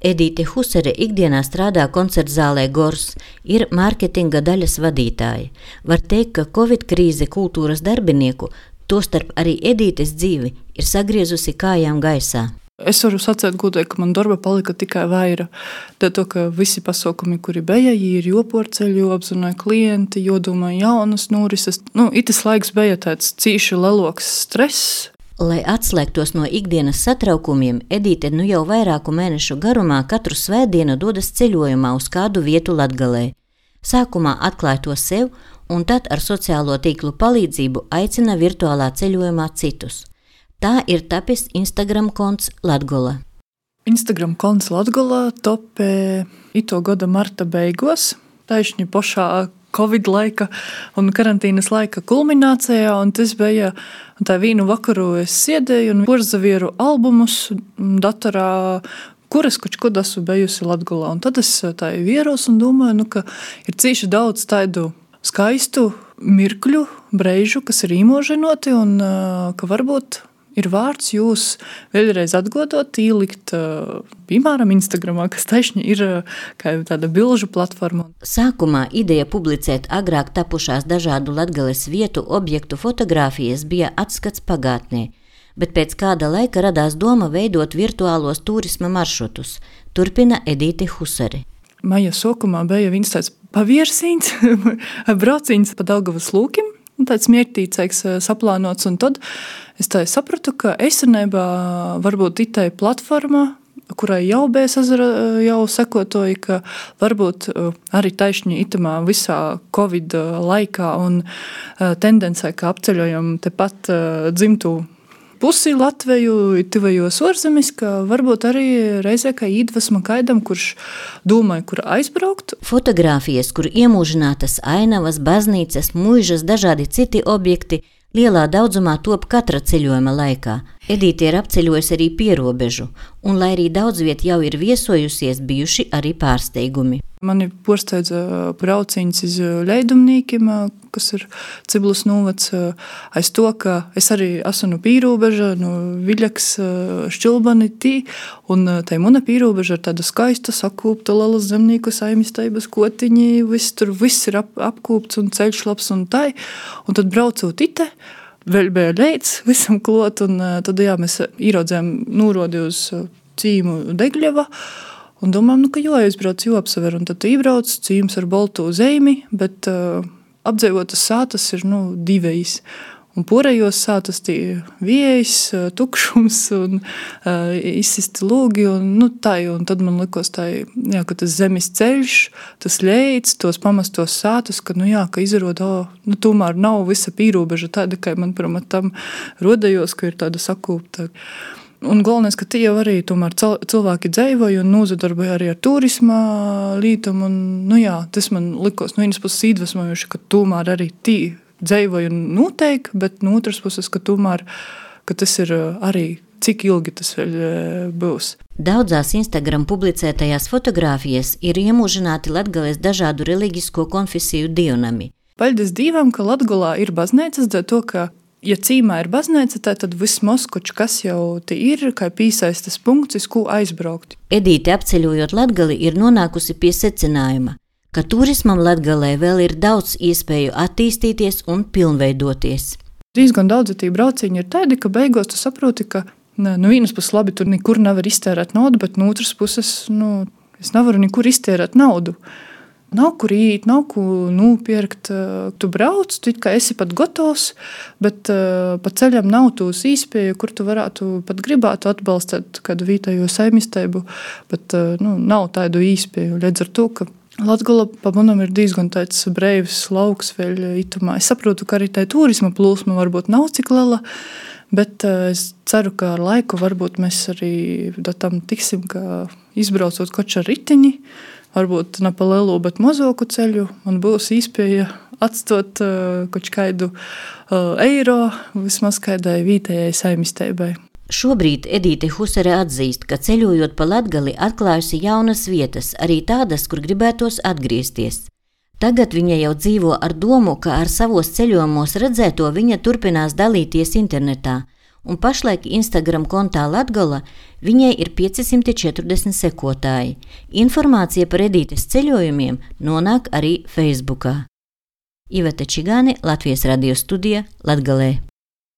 Edīte Husare ikdienā strādā koncertzālē Gors, ir mārketinga daļas vadītāja. Var teikt, ka Covid krīze kultūras darbinieku, tostarp arī Edītes dzīvi, ir sagriezusi kājām gaisā. Es varu sacēt godīgi, ka man darba palika tikai vaira. To, ka visi pasaukumi, kuri bija, ir joporceļu, apzināja klienti, jodomāja jaunas norises. Itis laiks bija tāds cīši leloks stress. Lai atslēgtos no ikdienas satraukumiem, Edīte jau vairāku mēnešu garumā katru svētdienu dodas ceļojumā uz kādu vietu Latgalē. Sākumā atklāja to sev, un tad ar sociālo tīklu palīdzību aicina virtuālā ceļojumā citus. Tā ir tapis Instagram konts Latgola. Instagram konts Latgola topē ito gada marta beigos, taišņi pošā Covid laika un karantīnas laika kulminācijā, un tas bija tā vīnu vakaru es siedēju un porzavieru albumus datorā, kuras kočkod esmu bejusi Latgolā. Un tad es tā vieros un domāju, ka ir cīši daudz tādu skaistu mirkļu, breižu, kas ir īmoženoti, un ka varbūt ir vārds jūs vēlreiz atgodot, ielikt, piemēram, Instagramā, kas taišņi ir kā tāda bilžu platforma. Sākumā ideja publicēt agrāk tapušās dažādu Latgales vietu objektu fotogrāfijas bija atskats pagātnē, bet pēc kāda laika radās doma veidot virtuālos turisma maršrutus, turpina Edīte Husare. Maija sākumā bija viens tāds paviersīns, brauciens pa Daugavas lūkim, tāds miertīcīgs saplānots, un tad es tā sapratu, ka esenībā varbūt itai platforma, kurai jau bija jau sekotoja, ka varbūt arī taišņi itamā visā Covid laikā un tendencē, ka apceļojam tepat dzimtu pusi Latveju, tivajos orzemis, ka varbūt arī reizē kā iedvesma kaidam, kurš domāja, kur aizbraukt. Fotogrāfijas, kur iemūžinātas ainavas, baznīcas, muižas, dažādi citi objekti, lielā daudzumā top katra ceļojuma laikā. Edīte ir apceļojusi arī pierobežu, un lai arī daudz viet jau ir viesojusies, bijuši arī pārsteigumi. Mani porsteidza brauciņas iz Leidumnīkim, kas ir Ciblas novads, aiz to, ka es arī esmu no pīrobeža, no Viļaks, Šķilbani tī, un tai muna pīrobeža ir tāda skaista, sakūpta, liela zemnieku saimistaibas kotiņi, viss ir apkūpts un ceļš labs un tai, un tad braucot ite, vēl bija leids visam klot, un tad mēs īraudzējām nūrodi uz cīmu Degļeva, un domājam, ka jāizbrauc, jāapsaver, un tad ībrauc cīms ar boltu zeimi, bet apdzīvotas sātas ir divējs. Un porējos sātas tī viejs, tukšums un izsisti lūgi, un tad man likos tā, ka tas zemes ceļš, tas leids, tos pamestos sātas, ka izroda, tomēr nav visa pīrobeža tāda, kā man tam rodējos, ka ir tāda sakūpta. Un galvenais, ka tie jau arī tomēr cilvēki dzeivoja un nozadarboja arī ar turisma lītam, un tas man likos no vienas puses iedvesmojoši, ka tomēr arī tī dzeivoja noteikti, bet no otras puses, ka tomēr, ka tas ir arī cik ilgi tas vēl būs. Daudzās Instagram publicētajās fotogrāfijas ir iemūžināti Latgales dažādu reliģisko konfesiju dievnami. Paļdis Dīvam, ka Latgolā ir baznīcas, dēļ to, ka ja cīmā ir baznīca, tad vismaz kaut kas jau te ir, kā pīsaistas punkts, uz ko aizbraukt. Edīte apceļojot Latgali ir nonākusi pie secinājuma, ka turismam Latgalē vēl ir daudz iespēju attīstīties un pilnveidoties. Diezgan daudzi tī brauciņi ir tādi, ka beigās tu saproti, ka no vienas puses labi, tur nekur nevar iztērēt naudu, bet no otras puses, es nevaru nekur iztērēt naudu. Nav kur īt, nav ko nopirkt. Tu brauc, tu it kā esi pat gotovs, bet pa ceļam nav tūs īspēju, kur tu varētu pat gribētu atbalstīt kādu vietējo saimisteibu, bet nav tādu īspēju. Līdz ar to, ka Latgola pa manam ir diezgan tāds breivs lauks vēl itumā. Es saprotu, ka arī tā turisma plūsma varbūt nav cik liela, bet es ceru, ka ar laiku varbūt mēs arī tam tiksim, ka izbraucot koču ar ritiņi, varbūt ne pa lielu, bet mazoku ceļu, man būs īspēja atstot kaut kādu eiro vismaz kādai vietējai saimisteibai. Šobrīd Edīte Husare atzīst, ka ceļojot pa Latgali atklājusi jaunas vietas, arī tādas, kur gribētos atgriezties. Tagad viņa jau dzīvo ar domu, ka ar savos ceļojumos redzēto viņa turpinās dalīties internetā, un pašlaik Instagram kontā Latgala viņai ir 540 sekotāji. Informācija par Edītes ceļojumiem nonāk arī Facebookā. Iveta Čigāne, Latvijas radio studija, Latgalē.